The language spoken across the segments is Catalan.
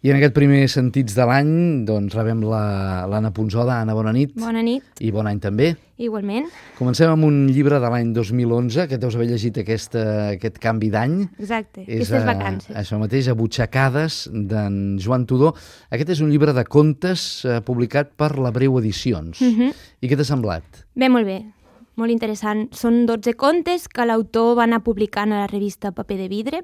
I en aquest primer Sentits de l'any doncs rebem l'Anna Punsoda. Anna, bona nit. Bona nit. I bon any també. Igualment. Comencem amb un llibre de l'any 2011, que deus haver llegit aquest canvi d'any. Exacte, aquestes vacances. Això mateix, Abutxacades, d'en Joan Tudó. Aquest és un llibre de contes publicat per la Breu Edicions. I què t'ha semblat? Bé, molt bé. Molt interessant. Són 12 contes que l'autor va anar publicant a la revista Paper de Vidre.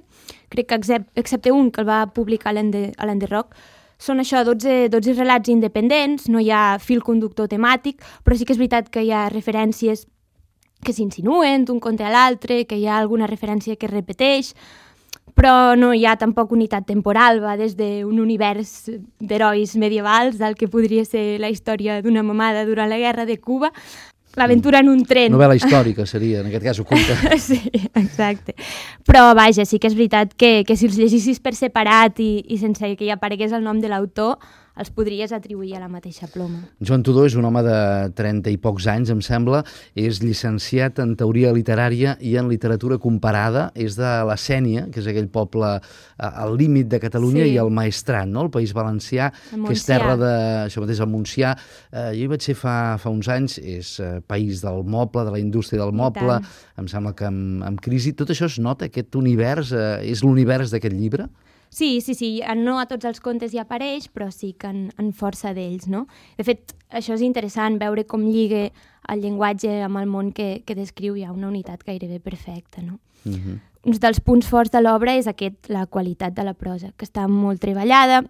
Crec que excepte un que el va publicar a l'Enderroc. Són això, 12 relats independents, no hi ha fil conductor temàtic, però sí que és veritat que hi ha referències que s'insinuen d'un conte a l'altre, que hi ha alguna referència que es repeteix, però no hi ha tampoc unitat temporal, va des d'un univers d'herois medievals, del que podria ser la història d'una mamada durant la guerra de Cuba, l'aventura en un tren. Novel·la històrica seria, en aquest cas, oculta. Sí, exacte. Però, vaja, sí que és veritat que si els llegissis per separat i sense que hi aparegués el nom de l'autor, els podries atribuir a la mateixa ploma. Joan Tudó és un home de 30 i pocs anys, em sembla. És llicenciat en teoria literària i en literatura comparada. És de la Sénia, que és aquell poble al límit de Catalunya, i el Maestrat, no? El País Valencià, que és terra de... Això mateix, el Montsià. Jo hi vaig ser fa uns anys. És país del moble, de la indústria del moble. Em sembla que amb crisi. Tot això es nota, aquest univers, és l'univers d'aquest llibre? Sí, no a tots els contes hi apareix, però sí que en força d'ells, no? De fet, això és interessant, veure com lliga el llenguatge amb el món que descriu. Hi ha una unitat gairebé perfecta, no? Un dels punts forts de l'obra és la qualitat de la prosa, que està molt treballada.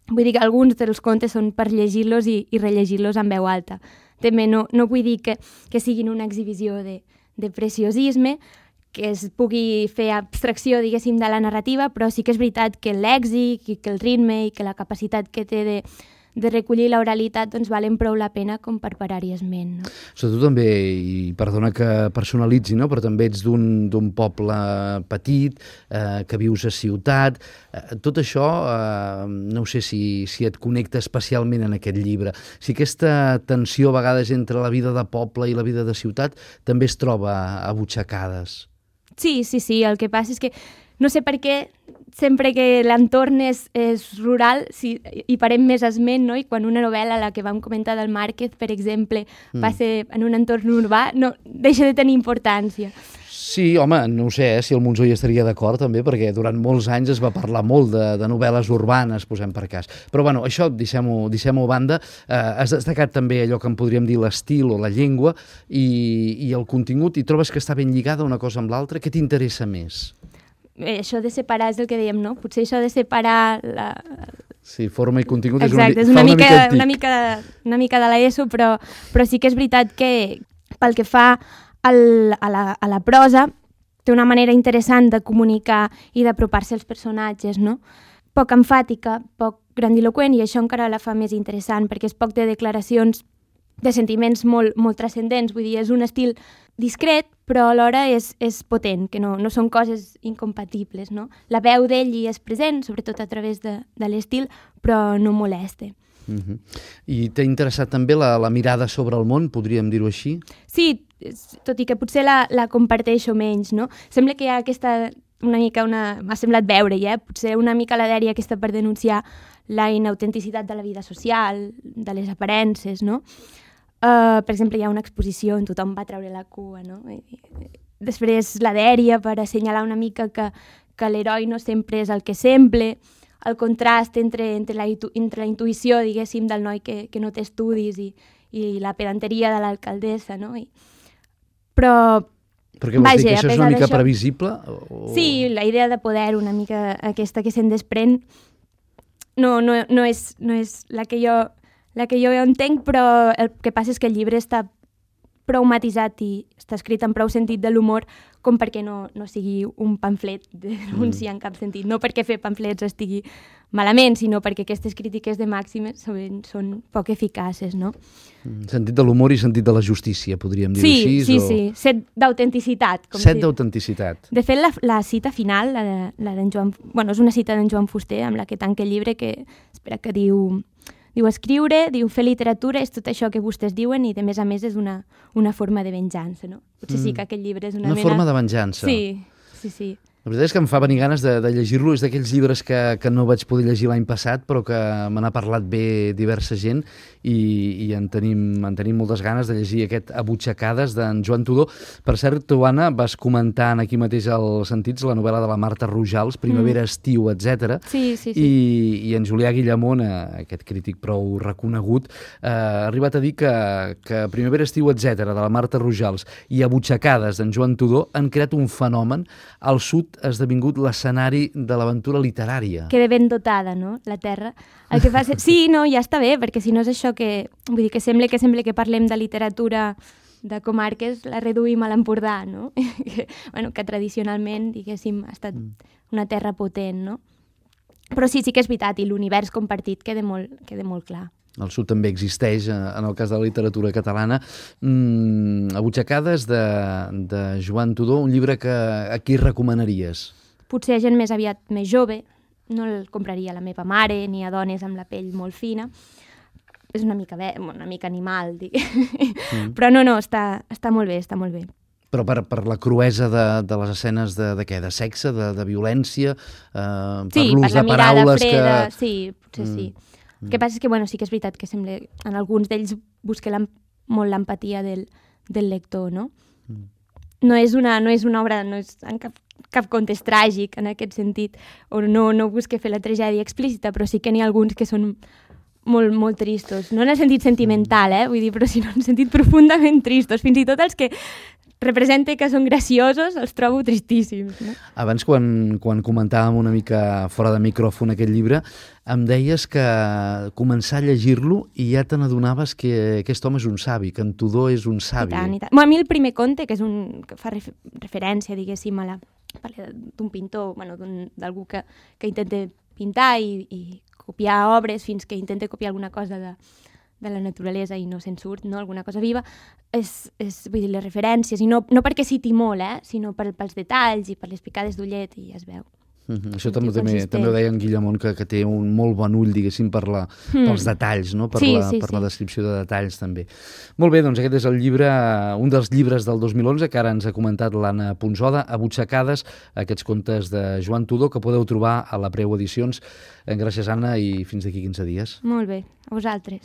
Vull dir que alguns dels contes són per llegir-los i rellegir-los en veu alta. També no vull dir que siguin una exhibició de preciosisme, que es pugui fer abstracció, diguéssim, de la narrativa, però sí que és veritat que l'èxit i que el ritme i que la capacitat que té de recollir l'oralitat doncs valen prou la pena com per parar-hi esment. No? Tu també, i perdona que personalitzi, no? Però també ets d'un poble petit, que vius a ciutat. Tot això, no sé si et connecta especialment en aquest llibre. Si aquesta tensió a vegades entre la vida de poble i la vida de ciutat també es troba a Butxacades. Sí, el que passa és que no sé per què sempre que l'entorn és rural hi farem més esment, no? I quan una novel·la, la que vam comentar del Márquez, per exemple, va ser en un entorn urbà, no deixa de tenir importància. Sí, home, no ho sé, si el Monzó hi estaria d'acord també, perquè durant molts anys es va parlar molt de novel·les urbanes, posem per cas. Però bueno, això deixem-ho a banda. Has destacat també allò que en podríem dir l'estil o la llengua i el contingut, i trobes que està ben lligada una cosa amb l'altra. Què t'interessa més? Això de separar és el que dèiem, no? Potser això de separar Sí, forma i contingut. Exacte, és una mica de l'ESO, però sí que és veritat que pel que fa a la prosa té una manera interessant de comunicar i d'apropar-se als personatges, no? Poc emfàtica, poc grandiloquent, i això encara la fa més interessant, perquè és poc de declaracions de sentiments molt transcendents. Vull dir, és un estil discret, però alhora és potent, que no són coses incompatibles, no? La veu d'ell hi és present, sobretot a través de l'estil, però no molesta. I t'ha interessat també la mirada sobre el món, podríem dir-ho així? Sí, tot i que potser la comparteixo menys, no? Sembla que hi ha m'ha semblat veure-hi, potser una mica la dèria aquesta per denunciar la inautenticitat de la vida social, de les aparences, no? Per exemple, hi ha una exposició on tothom va treure la cua, no? Després la dèria per assenyalar una mica que l'heroi no sempre és el que sembla, el contrast entre la intuïció, diguéssim, del noi que no té estudis i la pedanteria de l'alcaldessa, no? Però què vols dir, que això és una mica previsible? Sí, la idea de poder, una mica aquesta que se'n desprèn, no és la que jo entenc, però el que passa és que el llibre està prou matisat i està escrit amb prou sentit de l'humor com perquè no sigui un pamflet de denúncia en cap sentit. No perquè fer pamflets estigui malament, sinó perquè aquestes crítiques de màximes són poc eficaces, no? Sentit de l'humor i sentit de la justícia, podríem dir-ho així? Sí. Set d'autenticitat. Set d'autenticitat. De fet, la cita final, la d'en Joan... Bueno, és una cita d'en Joan Fuster, amb la que tanca el llibre, que diu escriure, diu fer literatura, és tot això que vostès diuen, i de més a més és una forma de venjança, no? Potser sí que aquest llibre és una forma de venjança. Sí. La veritat és que em fa venir ganes de llegir-lo. És d'aquells llibres que no vaig poder llegir l'any passat, però que me n'ha parlat bé diversa gent i en tenim moltes ganes de llegir aquest Abutxacades d'en Joan Tudó. Per cert, tu, Anna, vas comentant aquí mateix als Sentits la novel·la de la Marta Rojals, Primavera, estiu, etc. Sí. I en Julià Guillamón, aquest crític prou reconegut, ha arribat a dir que Primavera, estiu, etc. de la Marta Rojals i Abutxacades d'en Joan Tudó han creat un fenomen. Al sud ha esdevingut l'escenari de l'aventura literària. Queda ben dotada, no?, la terra. El que fa... Sí, no, ja està bé, perquè si no és això que... Vull dir, que sembla que parlem de literatura de comarques, la reduïm a l'Empordà, no? que tradicionalment, diguéssim, ha estat una terra potent, no? Però sí que és veritat, i l'univers compartit queda molt clar. El sud també existeix, en el cas de la literatura catalana. Abutxacades de Joan Tudó, un llibre que a qui recomanaries? Potser a gent més aviat més jove, no el compraria a la meva mare, ni a dones amb la pell molt fina. És una mica animal, però no, està molt bé, està molt bé. Però per la cruesa de les escenes de què? De sexe, de violència? Sí, per l'ús de paraules freda, que... Sí, potser sí. El que passa és que, sí que és veritat que sembla, en alguns d'ells busca molt l'empatia del lector, no? No és una obra, no és en cap context tràgic en aquest sentit, o no busca fer la tragèdia explícita, però sí que n'hi ha alguns que són molt, molt tristos. No en el sentit sentimental, vull dir, però sinó en el sentit profundament tristos. Fins i tot els que representa que són graciosos, els trobo tristíssims. No? Abans, quan comentàvem una mica fora de micròfon aquest llibre, em deies que començar a llegir-lo i ja te n'adonaves que aquest home és un savi, que en Tudó és un savi. I tant. A mi el primer conte, que fa referència, diguéssim, d'un pintor, d'algú que intenta pintar i copiar obres fins que intenta copiar alguna cosa de la naturalesa i no se'n surt, no? Alguna cosa viva, vull dir, les referències, i no perquè citi molt, sinó pels detalls i per les picades d'ullet, i ja es veu. Això també ho deia en Guillamón, que té un molt bon ull, diguéssim, pels detalls, no? Per la descripció de detalls, també. Molt bé, doncs aquest és el llibre, un dels llibres del 2011, que ara ens ha comentat l'Anna Punsoda, Abutxacades, aquests contes de Joan Tudó, que podeu trobar a la Preu Edicions. Gràcies, Anna, i fins d'aquí 15 dies. Molt bé, a vosaltres.